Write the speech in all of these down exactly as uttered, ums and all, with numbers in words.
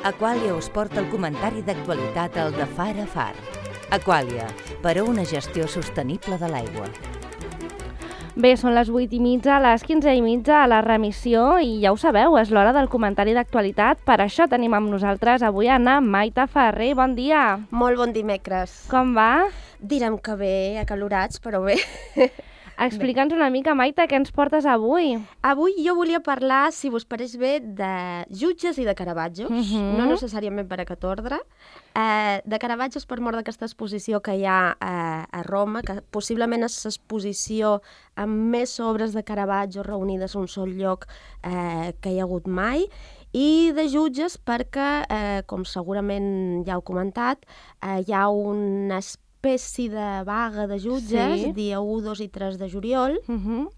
Aquàlia us porta el comentari d'actualitat al de Far a Far. Aquàlia, per a una gestió sostenible de l'aigua. Bé, són les vuit i mitja, les quinze i mitja a la remissió i ja ho sabeu, és l'hora del comentari d'actualitat. Per això tenim amb nosaltres avui Anna Maita Ferrer. Bon dia. Molt bon dimecres. Com va? Direm que bé, acalorats, però bé. Explica'ns una mica, Maita, què ens portes avui? Avui jo volia parlar, si vos pareix bé, de jutges i de Caravaggios, Mhm. no necessàriament per aquest ordre, eh, de Caravaggios per mort d'aquesta exposició que hi ha eh, a Roma, que possiblement és l'exposició amb més obres de Caravaggio reunides en un sol lloc eh, que hi ha hagut mai, i de jutges perquè, eh, com segurament ja heu comentat, eh, hi ha una espècie de vaga de jutges, Sí. dia u, dos i tres de juliol, Uh-huh.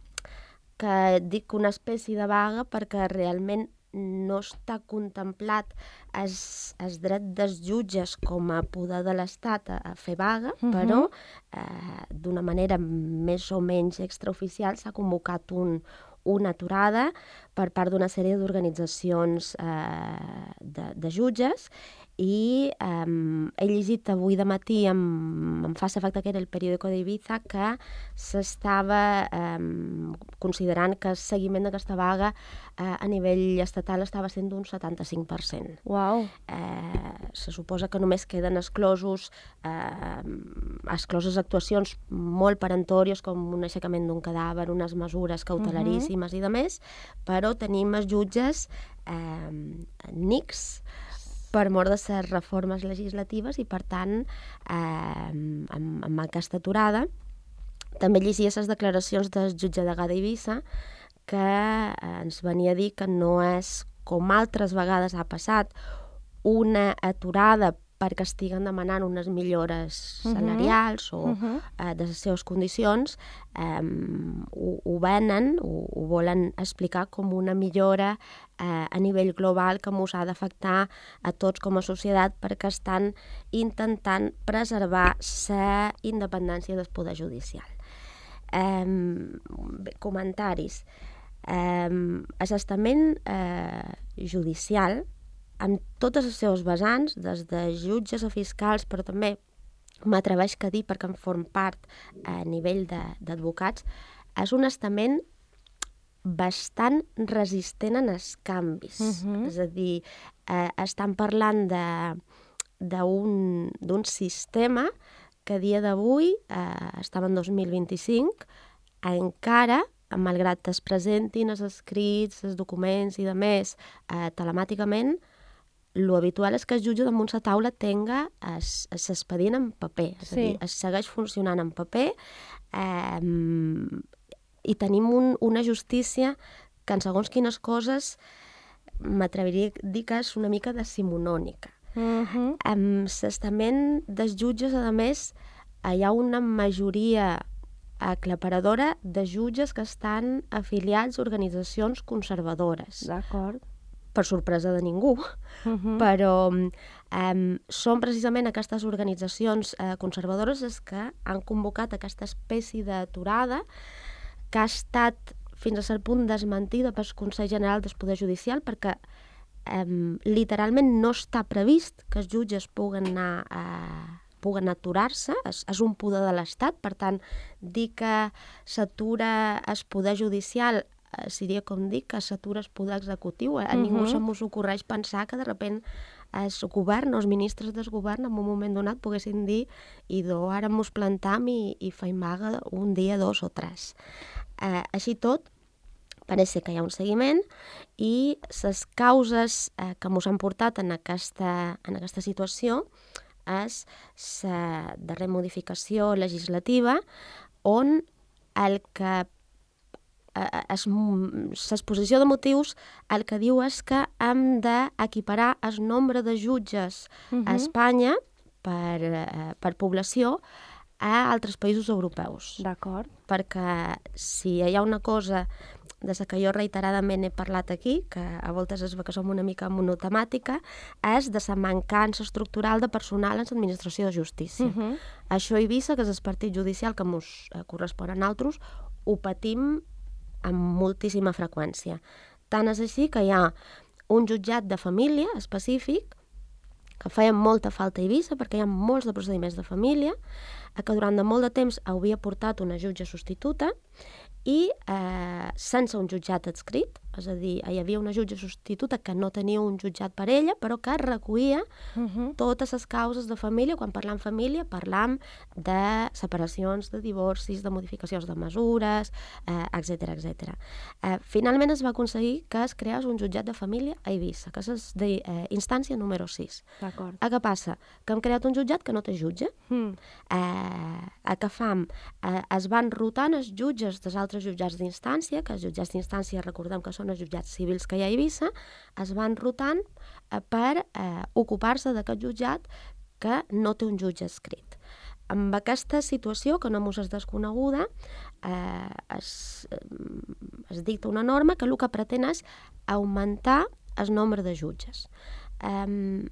que dic una espècie de vaga perquè realment no està contemplat el, el dret dels jutges com a poder de l'Estat a, a fer vaga, Mhm. però eh, d'una manera més o menys extraoficial s'ha convocat un, una aturada per part d'una sèrie d'organitzacions eh, de, de jutges, i eh, he llegit avui de matí, em, em fa l'efecte que era el periòdico d'Ibiza, que s'estava eh, considerant que el seguiment d'aquesta vaga eh, a nivell estatal estava sent d'un setanta-cinc per cent. Uau. Eh, se suposa que només queden exclosos eh, excloses actuacions molt perentòries com un aixecament d'un cadàver, unes mesures cautelaríssimes uh-huh. i de més, però tenim els jutges eh, nics per mort de les reformes legislatives i, per tant, eh, amb, amb aquesta aturada. També llegia les declaracions del jutge de Gada Eivissa, que eh, ens venia a dir que no és, com altres vegades ha passat, una aturada perquè estiguen demanant unes millores Mhm. salarials o Mhm. eh, de les seves condicions, eh, ho, ho venen, ho, ho volen explicar com una millora eh, a nivell global que ens ha d'afectar a tots com a societat, perquè estan intentant preservar la independència del poder judicial. Eh, bé, comentaris. Eh, L'assestament eh, judicial, amb totes les seves vessants, des de jutges a fiscals, però també m'atreveix a dir, perquè en form part a nivell d'advocats, és un estament bastant resistent en els canvis. Mhm. És a dir, eh, estan parlant de d'un sistema que a dia d'avui, eh, estava en dos mil vint-i-cinc, encara, malgrat es presentin els escrits, els documents i de més eh, telemàticament, l'habitual és que el jutge damunt la taula tenga l'expedient en paper, és Sí. a dir, es segueix funcionant en paper, eh, i tenim un, una justícia que en segons quines coses m'atreviria a dir que és una mica decimonònica. Uh-huh. Amb l'estament dels jutges, a més, hi ha una majoria aclaparadora de jutges que estan afiliats a organitzacions conservadores. D'acord. Per sorpresa de ningú, Uh-huh. però eh, són precisament aquestes organitzacions eh, conservadores les que han convocat aquesta espècie d'aturada que ha estat fins a cert punt desmentida pel Consell General del Poder Judicial, perquè eh, literalment no està previst que els jutges puguen anar a puguen aturar-se, és, és un poder de l'Estat, per tant, dir que s'atura el poder judicial eh, seria com dir que s'atura el poder executiu. A uh-huh. ningú se m'ho ocorreix pensar que de sobte el govern o els ministres del govern en un moment donat poguessin dir i do, ara mos plantam i, i feim vaga un dia, dos o tres. Eh, així tot, pareix ser que hi ha un seguiment i les causes eh, que ens han portat en aquesta, en aquesta situació és la darrera modificació legislativa on el que l'exposició de motius el que diu és que hem d'equiparar el nombre de jutges Uh-huh. a Espanya per, eh, per població a altres països europeus. D'acord. Perquè si hi ha una cosa de la que jo reiteradament he parlat aquí, que a voltes es ve que som una mica monotemàtica, és de la mancança estructural de personal en l'administració de justícia. Uh-huh. Això a Eivissa, que és el partit judicial que ens eh, correspon a nosaltres, ho patim amb moltíssima freqüència. Tant és així que hi ha un jutjat de família específic que feia molta falta a Eivissa perquè hi ha molts de procediments de família, que durant de molt de temps havia portat una jutge substituta i eh, sense un jutjat adscrit, és a dir, hi havia una jutge substituta que no tenia un jutjat per ella, però que recollia uh-huh. totes les causes de família. Quan parlam família, parlam de separacions, de divorcis, de modificacions de mesures, eh, etcètera, etcètera. Eh, finalment es va aconseguir que es creés un jutjat de família a Eivissa, que és d'instància eh, número sis. D'acord. A què passa? Que hem creat un jutjat que no té jutge. Mm. Eh, a què fam? Eh, es van rotant els jutges dels altres jutjats d'instància, que els jutjats d'instància recordem que són els jutjats civils que hi ha a Eivissa, es van rotant eh, per eh, ocupar-se d'aquest jutjat que no té un jutge escrit. Amb aquesta situació, que no mos és desconeguda, eh, es, es dicta una norma que el que pretén és augmentar el nombre de jutges. Eh,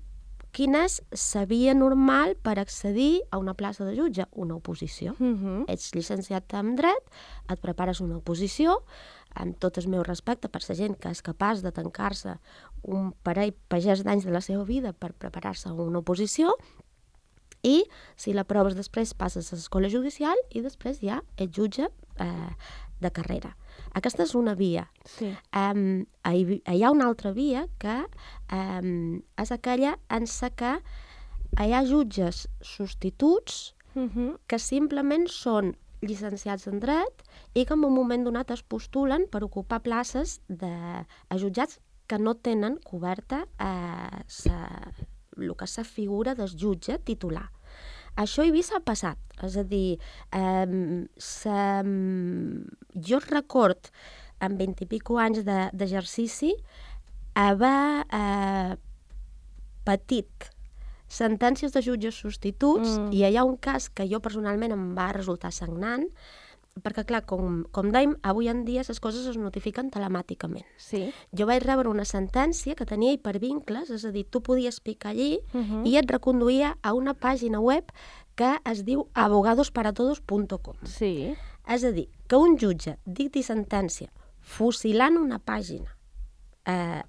Quina és la via normal per accedir a una plaça de jutge? Una oposició. Uh-huh. Ets llicenciat en dret, et prepares una oposició, amb tot el meu respecte per la gent que és capaç de tancar-se un parell pagès d'anys de la seva vida per preparar-se a una oposició, i si l'aproves després passes a l'escola judicial i després ja ets jutge eh, de carrera. Aquesta és una via. Sí. Um, hi, hi ha una altra via que um, és aquella en la que hi ha jutges substituts uh-huh. que simplement són llicenciats en dret i que en un moment donat es postulen per ocupar places de a jutjats que no tenen coberta eh, sa, el que és la figura del jutge titular. Això a Eivissa ha passat, és a dir, eh, sa, jo record en vint i pico anys d'exercici haver eh, patit sentències de jutges substituts mm. i hi ha un cas que jo personalment em va resultar sagnant, perquè clar, com, com dèiem, avui en dia les coses es notifiquen telemàticament. Sí. Jo vaig rebre una sentència que tenia hipervincles, és a dir, tu podies picar allí uh-huh. i et reconduïa a una pàgina web que es diu abogados para todos punto com. Sí. És a dir, que un jutge dicti sentència fusilant una pàgina eh,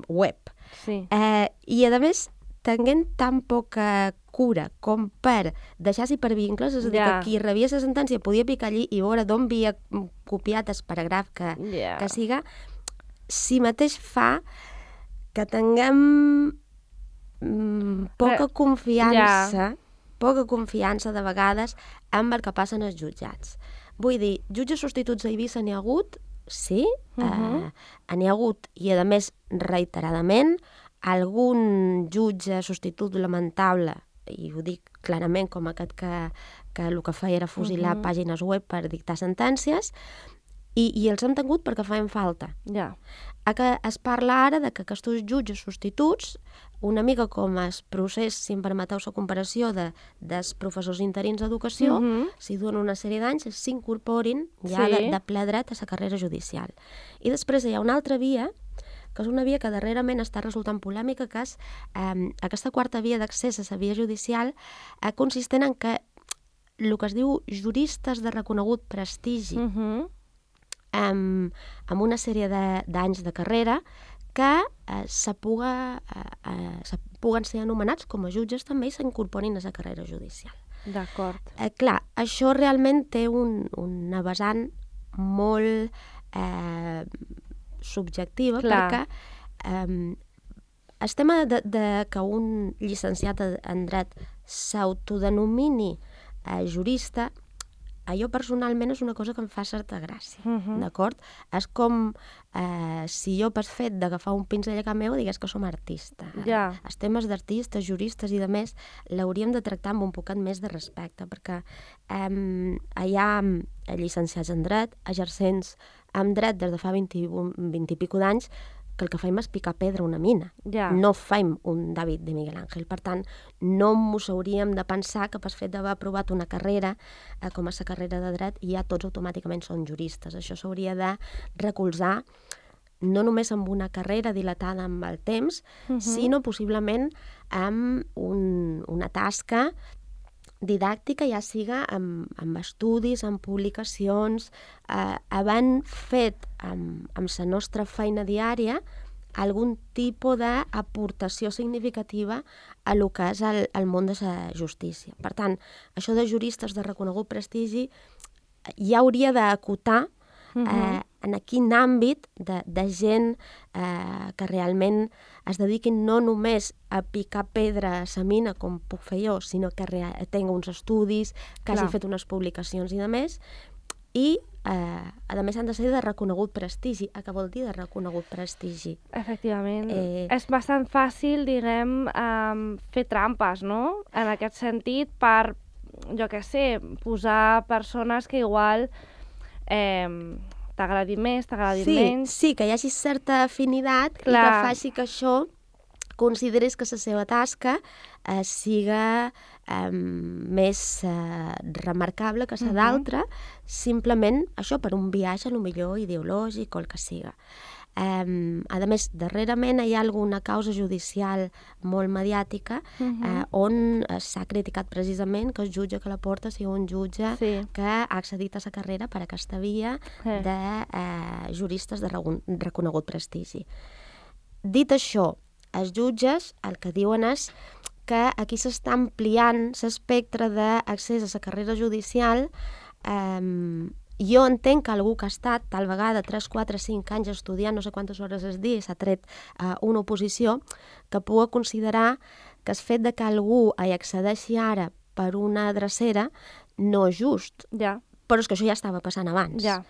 web Sí. eh, i a més tenint tan poca cura com per deixar-s'hi per vincles, és a dir, Ja. que qui rebia la sentència podia picar allí i veure d'on havia copiat el paràgraf que, Ja. que siga, si mateix fa que tinguem mm, poca Re- confiança, Ja. poca confiança de vegades amb el que passen els jutjats. Vull dir, jutges substituts a Eivissa n'hi ha hagut, sí, Uh-huh. eh, n'hi ha hagut, i a més reiteradament, algun jutge substitut lamentable, i ho dic clarament com aquest que, que el que feia era fusilar Uh-huh. pàgines web per dictar sentències, i, i els hem tingut perquè feien falta. Ja. A que es parla ara de que aquests jutges substituts, una mica com el procés, si em permeteu la comparació, de, dels professors interins d'educació, Mhm. si duen una sèrie d'anys, s'incorporin ja Sí. de, de ple dret a la carrera judicial. I després hi ha una altra via, que és una via que darrerament està resultant polèmica, que és eh, aquesta quarta via d'accés a la via judicial, eh, consistent en que el que es diu juristes de reconegut prestigi, Uh-huh. amb, amb una sèrie de- d'anys de, de carrera que eh, se, puga, eh, eh, se puguen ser anomenats com a jutges també i s'incorporin a la carrera judicial. D'acord. Eh, clar, això realment té un, una vessant molt eh, subjectiva, Clar. perquè eh, el tema de, de que un llicenciat en dret s'autodenomini eh, jurista, jo personalment és una cosa que em fa certa gràcia, Mhm. d'acord? És com eh, si jo per fet d'agafar un pinzell a casa meu digués que som artista. Ja. Els temes d'artistes, juristes i de més l'hauríem de tractar amb un poquet més de respecte, perquè eh, hi ha llicenciats en dret, exercents en dret des de fa vint i, vint i pico d'anys, que el que fem és picar pedra a una mina. Ja. No fem un David de Miguel Ángel. Per tant, no mos hauríem de pensar que per fet d'haver aprovat una carrera, eh, com és la carrera de dret, ja tots automàticament són juristes. Això s'hauria de recolzar no només amb una carrera dilatada amb el temps, Mhm. sinó possiblement amb un, una tasca didàctica, ja siga amb, amb estudis, amb publicacions, eh, havent fet amb, amb la nostra feina diària algun tipus d'aportació significativa a lo que és el, el món de la justícia. Per tant, això de juristes de reconegut prestigi ja hauria d'acotar eh, uh-huh. en quin àmbit de, de gent eh, que realment es dediquin no només a picar pedra a sa mina, com puc fer jo, sinó que tingui uns estudis, que hagi fet unes publicacions i de més, i eh, a més han de ser de reconegut prestigi. A què vol dir de reconegut prestigi? Efectivament. Eh... És bastant fàcil, diguem, eh, fer trampes, no? En aquest sentit, per, jo què sé, posar persones que igual eh, t'agradin més, t'agradin sí, menys... Sí, que hi hagi certa afinitat Clar. I que faci que això consideris que la seva tasca eh, siga eh, més eh, remarcable que la uh-huh. d'altra, simplement això per un viatge, a lo millor ideològic o el que siga. Eh, a més, darrerament hi ha alguna causa judicial molt mediàtica uh-huh. eh, on s'ha criticat precisament que el jutge que la porta sigui un jutge sí. que ha accedit a la carrera per aquesta via sí. de eh, juristes de reconegut prestigi. Dit això, els jutges el que diuen és que aquí s'està ampliant l'espectre d'accés a la carrera judicial. Eh, jo entenc que algú que ha estat tal vegada tres, quatre, cinc anys estudiant no sé quantes hores al dia i s'ha tret eh, una oposició, que pugui considerar que el fet de que algú hi accedeixi ara per una drecera no és just. Ja. Però és que això ja estava passant abans. Ja.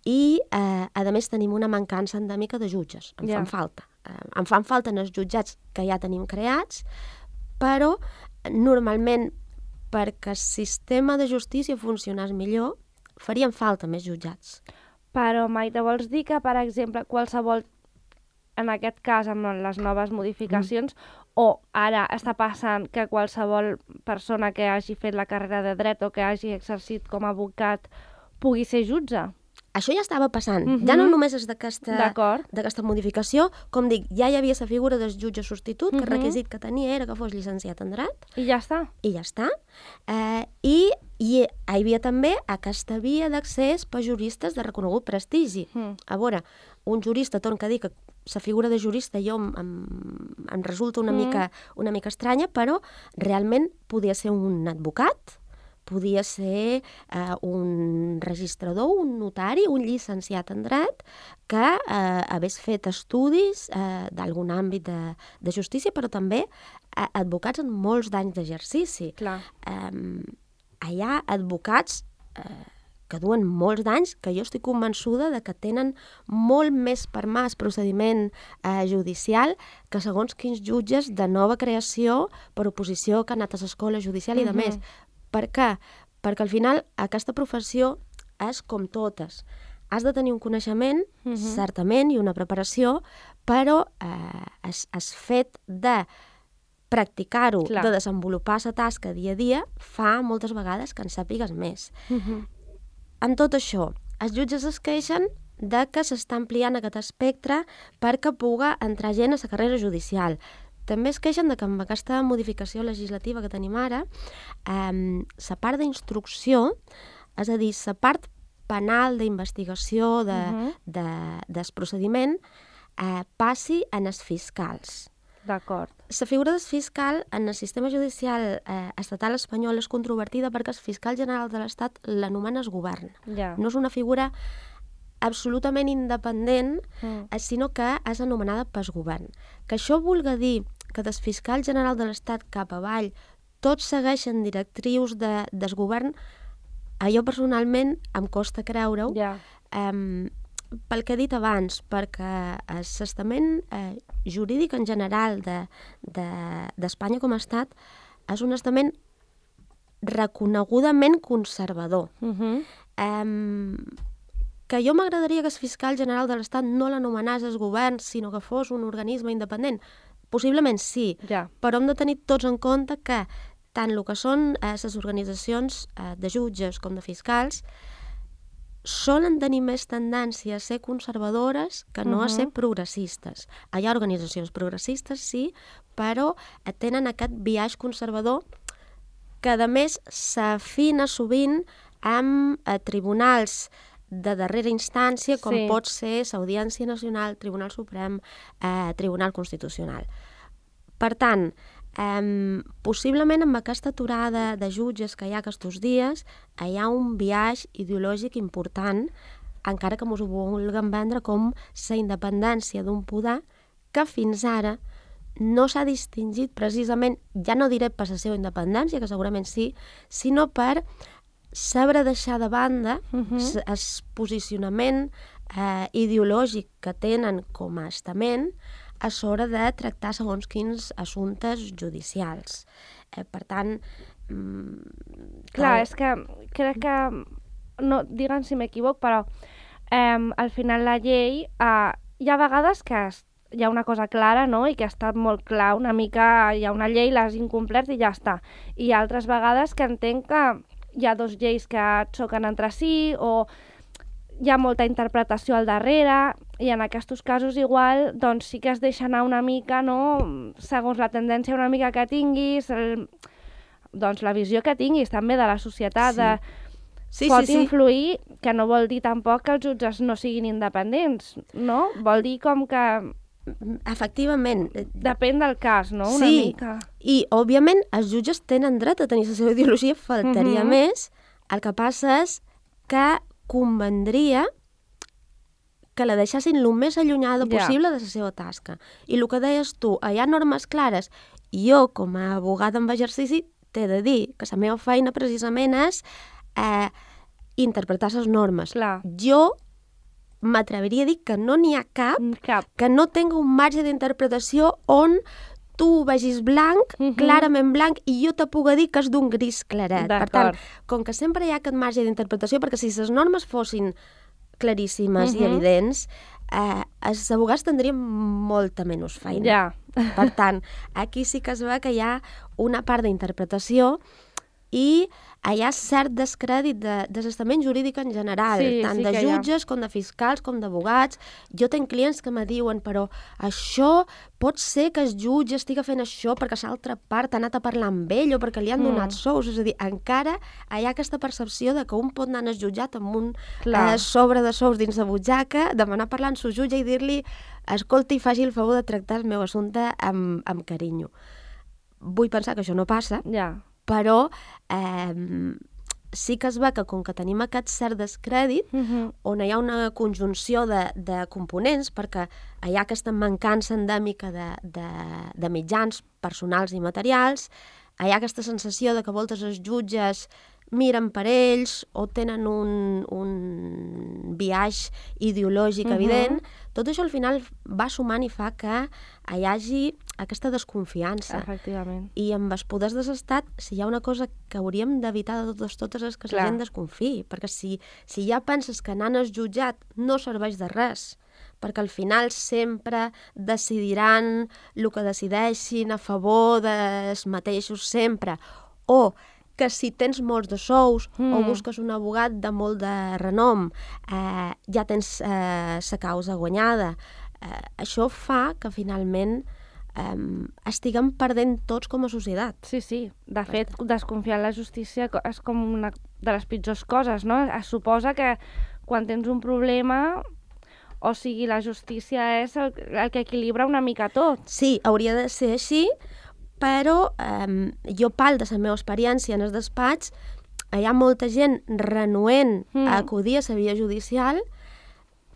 I, eh, a més, tenim una mancança endèmica de jutges. En ja. fan falta. Eh, en fan falta en els jutjats que ja tenim creats, però normalment perquè el sistema de justícia funcionés millor, farien falta més jutjats. Però, Maite, vols dir que, per exemple, qualsevol, en aquest cas amb les noves modificacions, mm. o ara està passant que qualsevol persona que hagi fet la carrera de dret o que hagi exercit com a advocat pugui ser jutge? Això ja estava passant. Mm-hmm. Ja no només és d'aquesta modificació, com dic, ja hi havia la figura del jutge substitut, mm-hmm. que el requisit que tenia era que fos llicenciat en dret. I ja està. I ja està. Eh, I hi havia també aquesta via d'accés per juristes de reconegut prestigi. Mm. A veure, un jurista, torno a dir que la figura de jurista jo em, em, em resulta una, mm. mica, una mica estranya, però realment podia ser un advocat, podia ser eh, un registrador, un notari, un llicenciat en dret que eh, hagués fet estudis eh, d'algun àmbit de, de justícia, però també eh, advocats amb molts d'anys d'exercici. Clar. Eh, hi ha advocats eh, que duen molts d'anys, que jo estic convençuda de que tenen molt més per mà el procediment eh, judicial que segons quins jutges de nova creació per oposició que han anat a l'escola judicial i de més. Per què? Perquè al final aquesta professió és com totes. Has de tenir un coneixement, uh-huh. certament, i una preparació, però eh, es, es fet de practicar-ho, Clar. de desenvolupar la tasca dia a dia, fa moltes vegades que en sàpigues més. Uh-huh. Amb tot això, els jutges es queixen de que s'està ampliant aquest espectre perquè pugui entrar gent a la carrera judicial. També es queixen de que amb aquesta modificació legislativa que tenim ara, eh, la part d'instrucció, és a dir, la part penal d'investigació de, uh-huh. de, del procediment, eh, passi en els fiscals. D'acord. La figura del fiscal en el sistema judicial eh, estatal espanyol és controvertida perquè el fiscal general de l'Estat l'anomena el govern. Ja. No és una figura absolutament independent, mm. eh, sinó que és anomenada pel govern. Que això vulga dir que del fiscal general de l'Estat cap avall tots segueixen directrius de, del govern, a jo personalment em costa creure-ho, yeah. eh, pel que he dit abans, perquè el testament eh, jurídic en general d'Espanya de, de, com a estat és un testament reconegudament conservador. Uh-huh. Eh, que jo m'agradaria que el fiscal general de l'Estat no l'anomenés el govern, sinó que fos un organisme independent. Possiblement sí, ja. però hem de tenir tots en compte que tant el que són eh, les organitzacions eh, de jutges com de fiscals solen tenir més tendència a ser conservadores que no uh-huh. a ser progressistes. Hi ha organitzacions progressistes, sí, però tenen aquest biaix conservador que, a més, s'afina sovint amb eh, tribunals de darrera instància, com Sí. pot ser l'Audiència Nacional, Tribunal Suprem, eh, Tribunal Constitucional. Per tant, eh, possiblement amb aquesta aturada de jutges que hi ha aquests dies, hi ha un biaix ideològic important, encara que mos ho vulguem vendre com la independència d'un poder que fins ara no s'ha distingit precisament, ja no diré per la seva independència, que segurament sí, sinó per saber deixar de banda Mhm. el posicionament eh, ideològic que tenen com a estament a l'hora de tractar segons quins assumptes judicials. Eh, per tant... Mm, Clar, cal- és que crec que, no, digue'm si m'equivoc, però eh, al final la llei, eh, hi ha vegades que es, hi ha una cosa clara, no?, i que ha estat molt clar, una mica hi ha una llei, l'has incomplert i ja està. I hi ha altres vegades que entenc que hi ha dos lleis que xoquen entre si o hi ha molta interpretació al darrere i en aquests casos igual doncs sí que es deixa anar una mica, no?, segons la tendència una mica que tinguis, el, doncs la visió que tinguis també de la societat, Sí. de, Sí, pot sí, sí. influir, que no vol dir tampoc que els jutges no siguin independents, no? Vol dir com que Efectivament. depèn del cas, no?, una Sí. mica. I, òbviament, els jutges tenen dret a tenir la seva ideologia, faltaria Mhm. més. El que passa és que convendria que la deixessin el més allunyada Ja. possible de la seva tasca. I el que deies tu, hi ha normes clares. Jo, com a abogada en exercici, t'he de dir que la meva feina precisament és eh, interpretar les normes. Clar. Jo m'atreviria a dir que no n'hi ha cap Cap. que no tenga un marge d'interpretació on tu vegis blanc, Mhm. clarament blanc, i jo te puc dir que és d'un gris claret. Per tant, D'acord. com que sempre hi ha aquest marge d'interpretació, perquè si les normes fossin claríssimes i Mhm. evidents, eh, els abogats tindrien molta menys feina. Ja. Per tant, aquí sí que es veu que hi ha una part d'interpretació i hi ha cert descrèdit de, de l'estament jurídic en general, Sí, tant sí de que hi ha. jutges com de fiscals com d'abogats. Jo tinc clients que me diuen, però això pot ser que el jutge estigui fent això perquè l'altra part ha anat a parlar amb ell o perquè li han Mm. donat sous. És a dir, encara hi ha aquesta percepció de que un pot anar al jutjat amb un Clar. eh, sobre de sous dins la butxaca, demanar parlar amb el jutge i dir-li escolti, faci el favor de tractar el meu assumpte amb, amb carinyo. Vull pensar que això no passa, Ja. però eh, sí que es veu que com que tenim aquest cert descrèdit, Mhm. on hi ha una conjunció de, de components, perquè hi ha aquesta mancança endèmica de, de, de mitjans personals i materials, hi ha aquesta sensació de que a voltes els jutges miren per ells o tenen un, un biaix ideològic Mhm. evident. Tot això al final va sumant i fa que hi hagi aquesta desconfiança. Efectivament. I amb els poders de l'Estat, si hi ha una cosa que hauríem d'evitar de totes totes és que la Clar. gent desconfiï, perquè si, si ja penses que anant al jutjat no serveix de res, perquè al final sempre decidiran el que decideixin a favor dels mateixos sempre, o que si tens molts de sous mm. o Mm. busques un abogat de molt de renom, eh, ja tens eh, la causa guanyada. Eh, això fa que finalment eh, estiguem perdent tots com a societat. Sí, sí. De fet, desconfiar en la justícia co- és com una de les pitjors coses, no? Es suposa que quan tens un problema, o sigui, la justícia és el, el que equilibra una mica tot. Sí, hauria de ser així, però eh, jo parlo de la meva experiència en el despatx, hi ha molta gent renuent Mm. a acudir a la via judicial,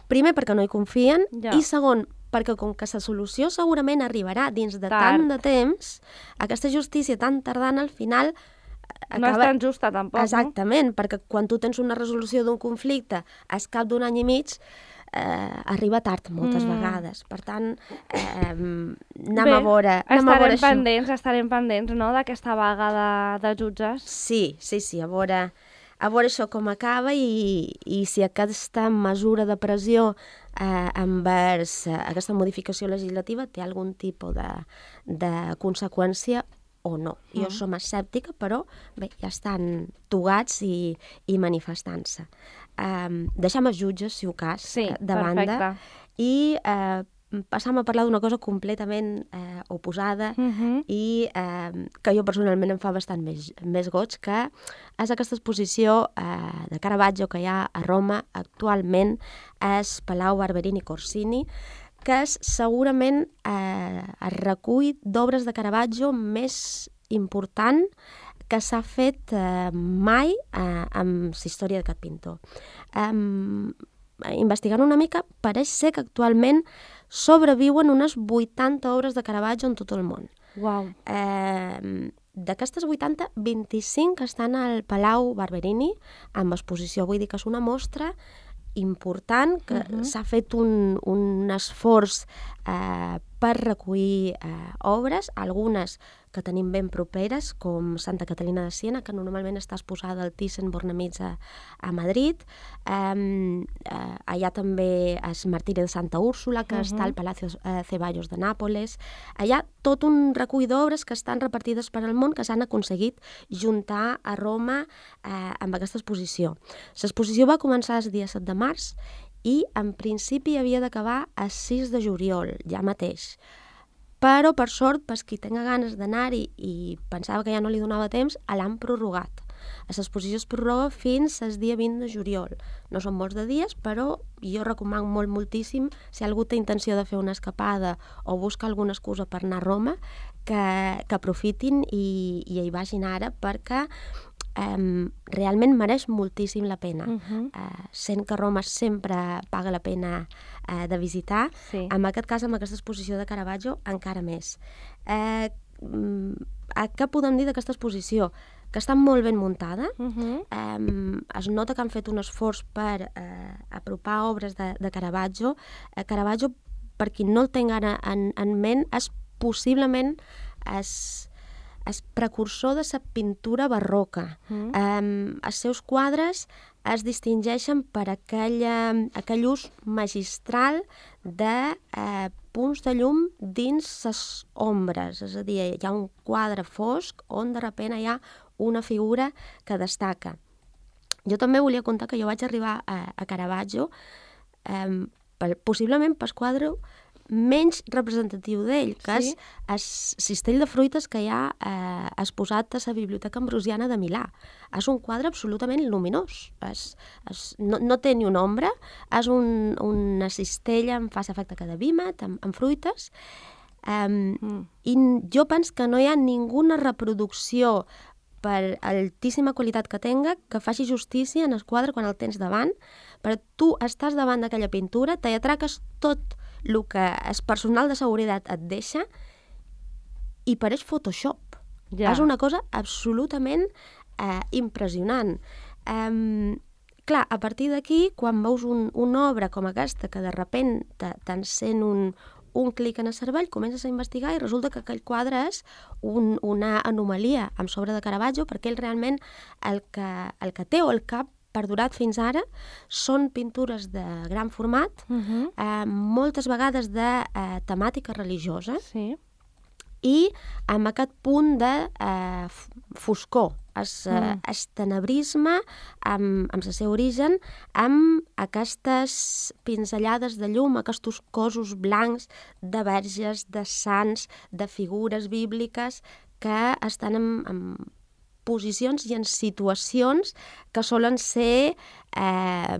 primer perquè no hi confien, Ja. i segon, perquè com que la solució segurament arribarà dins de Tard. tant de temps, aquesta justícia tan tardana al final eh, No és tan justa, tampoc, Exactament, perquè quan tu tens una resolució d'un conflicte al cap d'un any i mig, eh, arriba tard moltes Mm. vegades. Per tant, eh, anem Bé, a veure, anem a veure estarem pendents, estarem pendents, no?, d'aquesta vaga de, de jutges. Sí, sí, sí, a veure, a veure això com acaba i, i si aquesta mesura de pressió eh, envers eh, aquesta modificació legislativa té algun tipus de, de conseqüència o no. Jo Mm. som escèptica, però bé, ja estan togats i, i manifestant-se. Um, deixem els jutges, si ho cas, Sí, eh, de banda, perfecte. i eh, passam a parlar d'una cosa completament eh, oposada Uh -huh. i eh, que jo personalment em fa bastant més, més goig, que és aquesta exposició eh, de Caravaggio que hi ha a Roma actualment, és Palau Barberini Corsini, que és segurament eh, el recull d'obres de Caravaggio més important que s'ha fet eh, mai eh, amb la història d'aquest pintor. Um, investigant una mica, pareix ser que actualment sobreviuen unes vuitanta obres de Caravaggio en tot el món. Uau. Eh, D'aquestes vuitanta, vint-i-cinc estan al Palau Barberini, amb exposició. Vull dir que és una mostra important, que uh -huh. s'ha fet un, un esforç eh, per recollir eh, obres, algunes que tenim ben properes, com Santa Catalina de Siena, que normalment està exposada al Thyssen-Bornemisza a, a Madrid. Eh, eh, allà també és Martiri de Santa Úrsula, que uh -huh. està al Palacio eh, Ceballos de Nàpoles. Allà tot un recull d'obres que estan repartides per al món, que s'han aconseguit juntar a Roma eh, amb aquesta exposició. L'exposició va començar el dia set de març i en principi havia d'acabar el sis de juliol, ja mateix. Però, per sort, per qui tenga ganes d'anar-hi i pensava que ja no li donava temps, l'han prorrogat. L'exposició es prorroga fins al dia vint de juliol. No són molts de dies, però jo recomano molt, moltíssim, si algú té intenció de fer una escapada o busca alguna excusa per anar a Roma, que, que aprofitin i, i hi vagin ara, perquè Um, realment mereix moltíssim la pena. Uh -huh. uh, sent que Roma sempre paga la pena uh, de visitar, sí. En aquest cas, amb aquesta exposició de Caravaggio, encara més. Uh, um, què podem dir d'aquesta exposició? Que està molt ben muntada. Uh -huh. um, es nota que han fet un esforç per uh, apropar obres de, de Caravaggio. Uh, Caravaggio, per qui no el tenga en, en ment, és possiblement és és precursor de la pintura barroca. Mm. Um, els seus quadres es distingeixen per aquell, uh, aquell ús magistral de uh, punts de llum dins les ombres. És a dir, hi ha un quadre fosc on de sobte hi ha una figura que destaca. Jo també volia contar que jo vaig arribar a, a Caravaggio um, per, possiblement pel quadre menys representatiu d'ell, que sí? és el cistell de fruites que hi ha eh, exposat a la Biblioteca Ambrosiana de Milà. És un quadre absolutament luminós. És, és, no, no té ni una ombra, és un, una cistella amb fa efecte que de vímet, amb, amb fruites, um, mm. i jo penso que no hi ha ninguna reproducció per altíssima qualitat que tenga, que faci justícia en el quadre quan el tens davant, però tu estàs davant d'aquella pintura, te atraques tot el que el personal de seguretat et deixa i pareix Photoshop. Ja. És una cosa absolutament eh, impressionant. Um, clar, a partir d'aquí, quan veus un, una obra com aquesta que de sobte t'encén un, un clic en el cervell, comences a investigar i resulta que aquell quadre és un, una anomalia amb sobre de Caravaggio, perquè ell realment el que, el que té o el cap perdurat fins ara són pintures de gran format, uh -huh. eh, moltes vegades de eh, temàtica religiosa, sí. I amb aquest punt de eh, foscor, es, mm. eh, es tenebrisme amb, amb el seu origen, amb aquestes pinzellades de llum, aquests cossos blancs de verges, de sants, de figures bíbliques que estan en, en posicions i en situacions que solen ser, eh,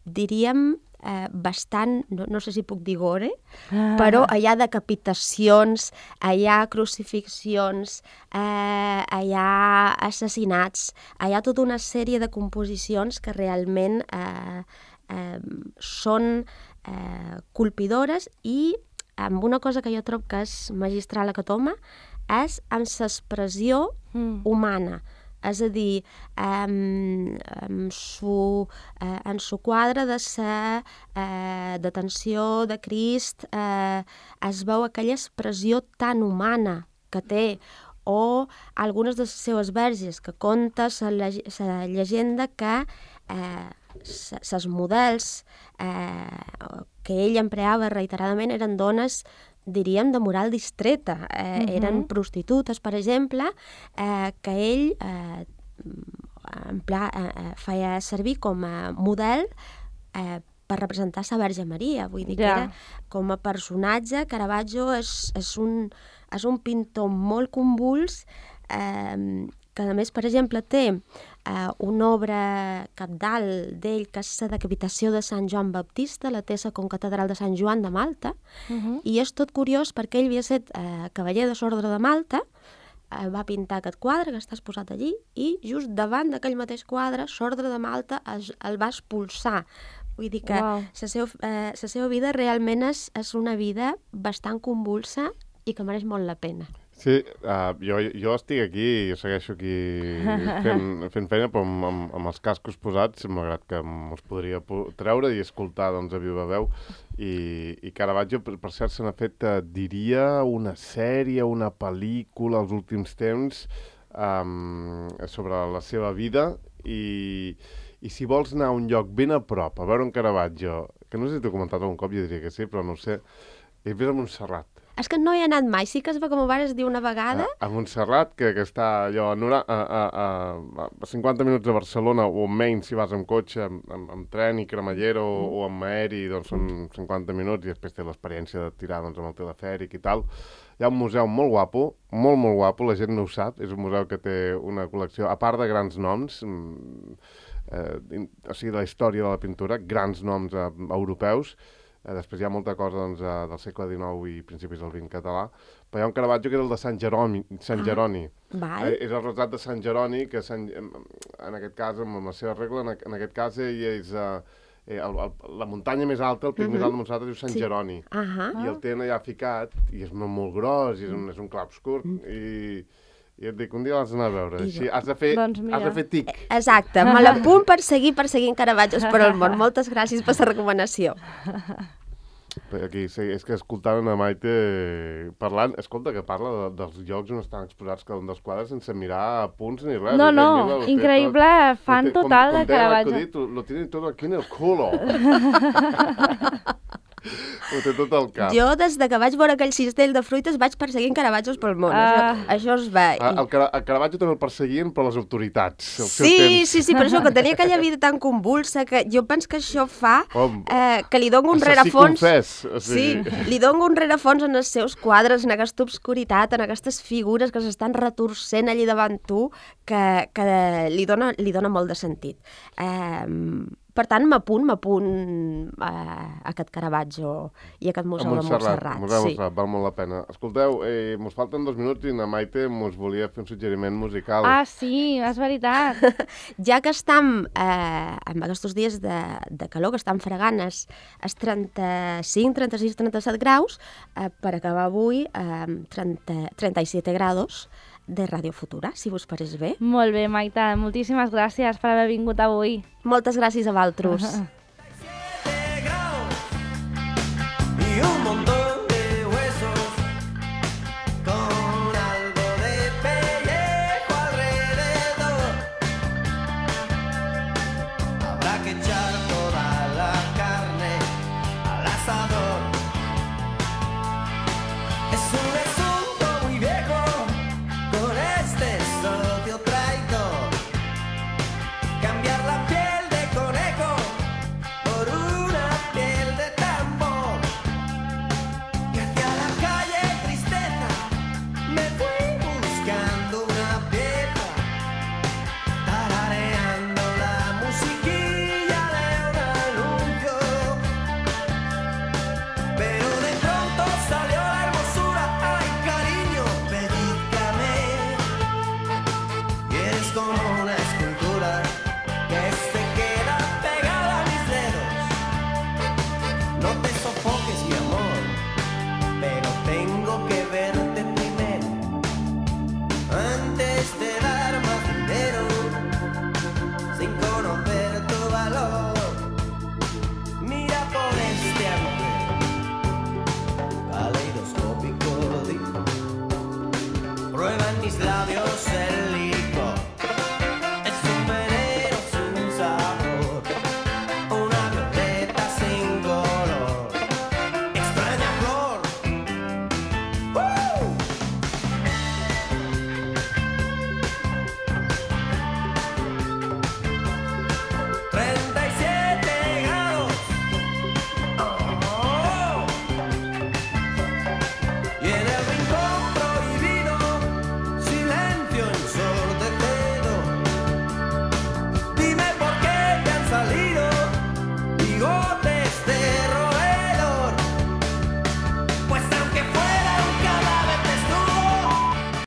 diríem, eh, bastant, no, no sé si puc dir gore, ah. però hi ha decapitacions, hi ha crucifixions, eh, hi ha assassinats, hi ha tota una sèrie de composicions que realment eh, eh, són eh, colpidores i amb una cosa que jo trobo que és magistral a Catoma, és amb l'expressió mm. humana. És a dir, um, en su, uh, en su quadre de la uh, detenció de Crist uh, es veu aquella expressió tan humana que té, o algunes de les seves verges que conta la llegenda que els uh, models uh, que ell empreava reiteradament eren dones, diríem, de moral distreta. Eh, uh-huh. Eren prostitutes, per exemple, eh, que ell eh, en pla, eh, feia servir com a model eh, per representar sa Verge Maria. Vull dir que Ja. era com a personatge, Caravaggio és, és, un, és un pintor molt convuls, eh, que a més, per exemple, té eh, una obra cabdal d'ell, que és la decapitació de Sant Joan Baptista, la té a la concatedral de Sant Joan de Malta, Uh -huh. i és tot curiós perquè ell havia estat eh, cavaller de l'Ordre de Malta, eh, va pintar aquest quadre que està exposat allí, i just davant d'aquell mateix quadre, l'Ordre de Malta es, el va expulsar. Vull dir que Uau. la seva, eh, la seva vida realment és, és una vida bastant convulsa i que mereix molt la pena. Sí, uh, jo, jo estic aquí, jo segueixo aquí fent, fent feina, però amb, amb, amb els cascos posats, malgrat que me'ls podria treure i escoltar doncs, a viva veu. I, i Caravaggio, per, per cert, se n'ha fet, uh, diria, una sèrie, una pel·lícula als últims temps um, sobre la seva vida i, i si vols anar a un lloc ben a prop, a veure un Caravaggio, que no sé si t'ho he comentat algun cop, jo diria que sí, però no ho sé, és vés a Montserrat. És que no hi he anat mai, sí que es va, com ho vares dir una vegada. A, a Montserrat, que, que està allò a, Nora, a, a, a, a cinquanta minuts de Barcelona, o menys si vas amb cotxe, amb, amb, amb tren i cremallera o, o amb aeri, doncs són cinquanta minuts i després té l'experiència de tirar doncs, amb el telefèric i tal. Hi ha un museu molt guapo, molt, molt guapo, la gent no ho sap, és un museu que té una col·lecció, a part de grans noms, eh, o sigui, de la història de la pintura, grans noms eh, europeus. Eh, després hi ha molta cosa doncs, eh, del segle dinou i principis del vint català, però hi ha un Caravaggio que era el de Sant Jeroni. Sant ah, Jeroni. Val. Eh, és el retrat de Sant Jeroni, que Sant, en aquest cas, amb la seva regla, en, en aquest cas ell és eh, el, el, la muntanya més alta, el pic uh -huh. més alt de Montserrat, es diu Sant sí. Jeroni. Uh -huh. I el tenen allà ficat, i és molt, molt gros, i és un, és un clar obscur, i... I et dic, un dia l'has d'anar a veure. Així, has de fer, doncs has de fer tic. Exacte, me l'apunt per seguir perseguint Caravaggios per al món. Moltes gràcies per la recomanació. Aquí, sí, és que escoltant a Maite parlant, escolta, que parla de, dels llocs on estan exposats cada un dels quadres sense mirar punts ni res. No, no, mira, increïble, tot, fan tot, total com, de Caravaggio. Acudit, lo tienen todo aquí en el culo. Ho té tot al cap. Jo, des de que vaig veure aquell cistell de fruites, vaig perseguint Caravaggios pel món. Uh, això, això es va. I... El, Car el Caravaggio també el perseguien per les autoritats. El sí, seu temps. sí, sí, per això, que tenia aquella vida tan convulsa, que jo penso que això fa eh, que li dono un rerefons... Confés, o sigui... Sí, li dono un rerefons en els seus quadres, en aquesta obscuritat, en aquestes figures que s'estan retorcent allí davant tu, que, que li, dona, li dona molt de sentit. Eh, Per tant, m'apunt, m'apunt a aquest Caravaggio i aquest museu de Montserrat. Museu de Montserrat, val molt la pena. Escolteu, eh, mos falten dos minuts i na Maite mos volia fer un suggeriment musical. Ah, sí, és veritat. Ja que estem eh, en aquests dies de, de calor, que estan fregant els trenta-cinc, trenta-sis, trenta-set graus, eh, per acabar avui eh, trenta, trenta-set graus de Radio Futura, si vos pareix bé. Molt bé, Maite, moltíssimes gràcies per haver vingut avui. Moltes gràcies a vosaltres. Y un montón de huesos con algo de pellejo alrededor. Habrá que echar toda la carne al asador. Es un asunto muy viejo con este socio traidor. Cambiar la piel de conejo por una piel de tambor. Y hacia la calle tristeza me fui buscando una pieza, tarareando la musiquilla de un anuncio. Pero de pronto salió la hermosura, ay cariño, pellízcame. Y eres como una escultura que se queda pegada a mis dedos. No te sofoques, mi amor, pero tengo que verte primero antes de dar más dinero, sin conocer tu valor. Mira por este agujero caleidoscópico, digo. Prueba en mis labios